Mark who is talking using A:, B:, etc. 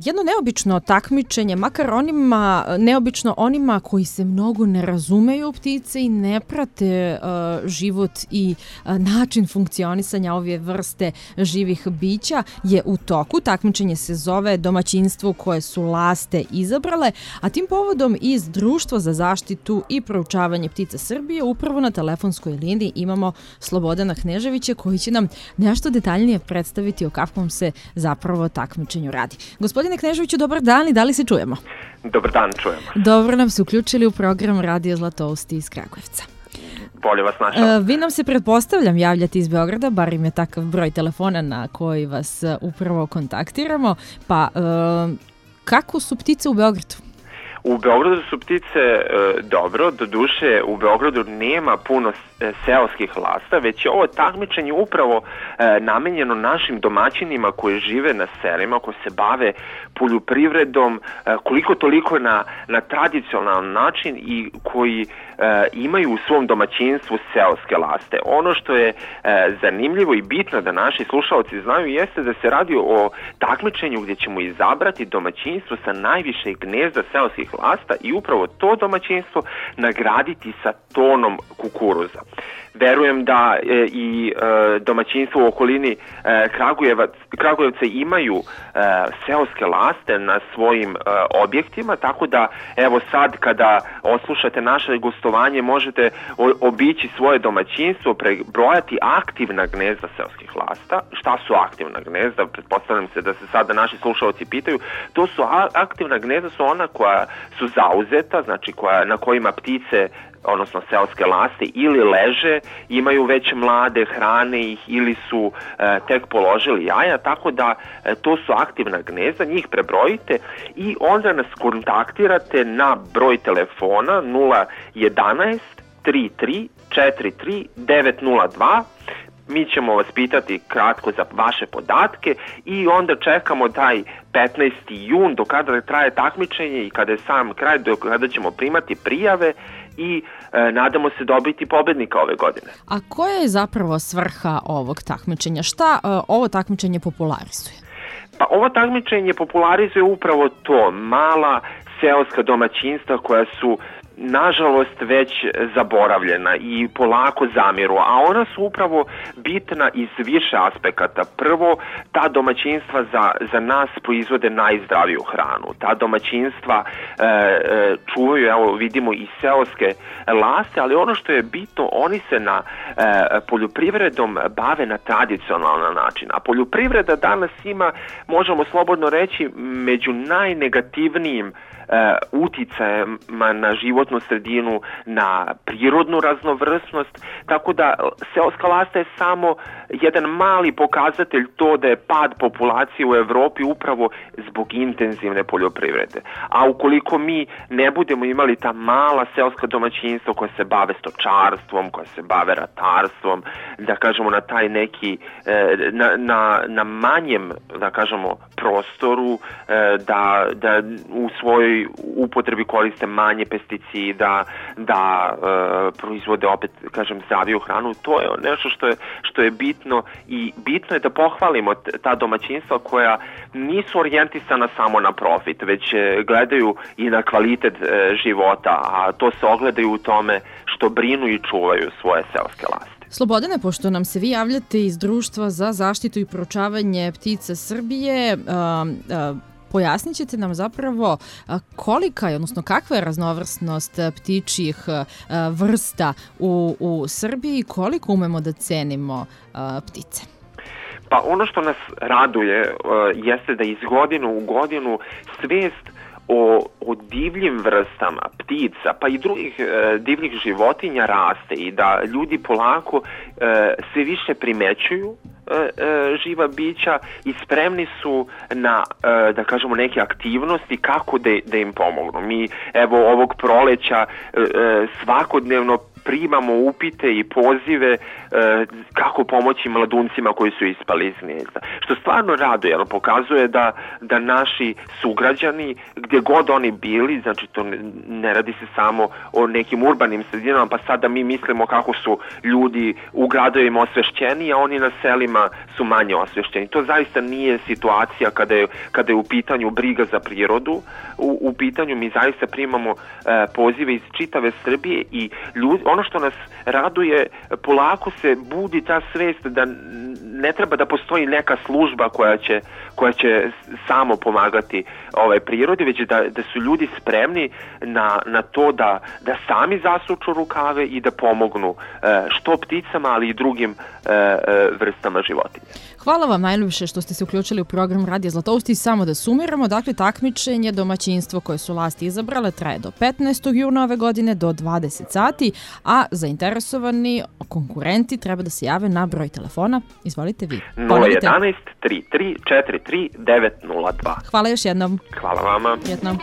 A: jedno neobično takmičenje, makar neobično onima koji se mnogo ne razumeju u ptice i ne prate život i način funkcionisanja ove vrste živih bića je u toku. Takmičenje se zove Domaćinstvo koje su laste izabrale, a tim povodom iz Društva za zaštitu i proučavanje ptica Srbije upravo na telefonskoj liniji imamo Slobodana Kneževića koji će nam nešto detaljnije predstaviti o kakvom se zapravo takmičenju radi. Gospodine Kneževiću, dobar dan i da li se čujemo?
B: Dobar dan, čujemo.
A: Dobro nam se uključili u program Radio Zlatousti iz Kragujevca.
B: Bolje vas našao.
A: Vi nam se, pretpostavljam, javljate iz Beograda, bar im je takav broj telefona na koji vas upravo kontaktiramo. Pa, kako su ptice u Beogradu?
B: U Beogradu su ptice dobro, doduše u Beogradu nema puno seoskih lasta, već je ovo takmičenje upravo namenjeno našim domaćinima koji žive na selima, koji se bave poljoprivredom, koliko toliko na tradicionalan način i koji imaju u svom domaćinstvu seoske laste. Ono što je zanimljivo i bitno da naši slušalci znaju jeste da se radi o takmičenju gdje ćemo izabrati domaćinstvo sa najviše gnezda seoskih lasta i upravo to domaćinstvo nagraditi sa tonom kukuruza. Verujem da i domaćinstvo u okolini Kragujevca imaju seoske laste na svojim objektima, tako da evo sad kada oslušate naše gostovanje možete obići svoje domaćinstvo, prebrojati aktivna gnezda seoskih lasta. Šta su aktivna gnezda? Pretpostavljam se da se sada naši slušalci pitaju. To su aktivna gnezda su ona koja su zauzeta, znači na kojima ptice odnosno seoske laste ili leže, imaju već mlade, hrane ih ili su tek položili jaja, tako da to su aktivna gnezda, njih prebrojite i onda nas kontaktirate na broj telefona 011 33 43 902. Mi ćemo vas pitati kratko za vaše podatke i onda čekamo taj 15. jun do kada traje takmičenje i kada je sam kraj, do kada ćemo primati prijave i nadamo se dobiti pobednika ove godine.
A: A koja je zapravo svrha ovog takmičenja? Šta ovo takmičenje popularizuje?
B: Pa ovo takmičenje popularizuje upravo to, mala seoska domaćinstva koja su nažalost već zaboravljena i polako zamiru, a ona su upravo bitna iz više aspekata. Prvo, ta domaćinstva za nas proizvode najzdraviju hranu. Ta domaćinstva čuvaju, evo vidimo i seoske laste, ali ono što je bitno, oni se na poljoprivredom bave na tradicionalan način. A poljoprivreda danas ima, možemo slobodno reći, među najnegativnijim uticajima na životnu sredinu, na prirodnu raznovrsnost, tako da seoska lasta je samo jedan mali pokazatelj to da je pad populacije u Evropi upravo zbog intenzivne poljoprivrede. A ukoliko mi ne budemo imali ta mala seoska domaćinstva koja se bave stočarstvom, koja se bave ratarstvom, da kažemo na taj neki, na manjem, da kažemo, prostoru, da u svojoj upotrebi koriste manje pesticida, da proizvode opet, kažem, zdraviju hranu, to je nešto što je bitno i bitno je da pohvalimo ta domaćinstva koja nisu orijentisana samo na profit, već gledaju i na kvalitet života, a to se ogledaju u tome što brinu i čuvaju svoje seoske laste.
A: Slobodane, pošto nam se vi javljate iz Društva za zaštitu i proučavanje ptica Srbije, pojasnit ćete nam zapravo kolika je, odnosno kakva je raznovrsnost ptičjih vrsta u Srbiji i koliko umemo da cenimo ptice?
B: Pa ono što nas raduje jeste da iz godine u godinu svijest o divljim vrstama ptica pa i drugih divljih životinja raste i da ljudi polako sve više primećuju živa bića i spremni su na, da kažemo, neke aktivnosti kako da im pomognu. Mi, evo, ovog proleća svakodnevno primamo upite i pozive kako pomoći mladuncima koji su ispali iz gnezda. Što stvarno raduje, jer pokazuje da naši sugrađani gdje god oni bili, znači to ne radi se samo o nekim urbanim sredinama, pa sada mi mislimo kako su ljudi u gradovima osvešćeni, a oni na selima su manje osvešćeni. To zaista nije situacija kada je u pitanju briga za prirodu. U pitanju mi zaista primamo pozive iz čitave Srbije i ono što nas raduje, polako se budi ta svest da ne treba da postoji neka služba koja će samo pomagati prirodi, već da su ljudi spremni na to da sami zasuču rukave i da pomognu što pticama, ali i drugim vrstama životinja.
A: Hvala vam najljubše što ste se uključili u program Radija Zlatousti. Samo da sumiramo, dakle takmičenje domaćinstvo koje su vlasti izabrale traje do 15. juna ove godine do 20 sati, a zainteresovani konkurenti treba da se jave na broj telefona. Izvolite vi.
B: 011 33 43 902.
A: Hvala još jednom.
B: Hvala vama.
A: Jednom.